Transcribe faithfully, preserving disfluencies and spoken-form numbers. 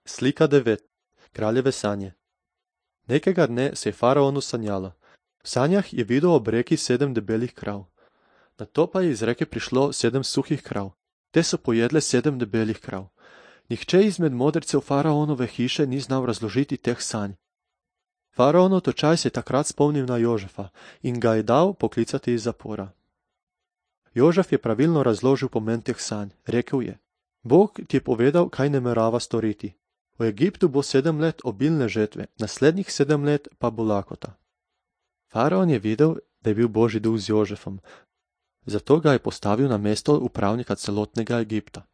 Slika devet. Kraljeve sanje. Nekega dne se je faraonu sanjalo. V sanjah je videl ob reki sedem debelih krav. Nato pa je iz reke prišlo sedem suhih krav. Te so pojedle sedem debelih krav. Nihče izmed modrecev faraonove hiše ni znal razložiti teh sanj. Faraonov točaj se je takrat spomnil na Jožefa in ga je dal poklicati iz zapora. Jožef je pravilno razložil pomen teh sanj. Rekel je: Bog ti je povedal, kaj namerava storiti. V Egiptu bo sedem let obilne žetve, naslednjih sedem let pa bo lakota. Faraon je videl, da je bil Božji duh z Jožefom, zato ga je postavil na mesto upravnika celotnega Egipta.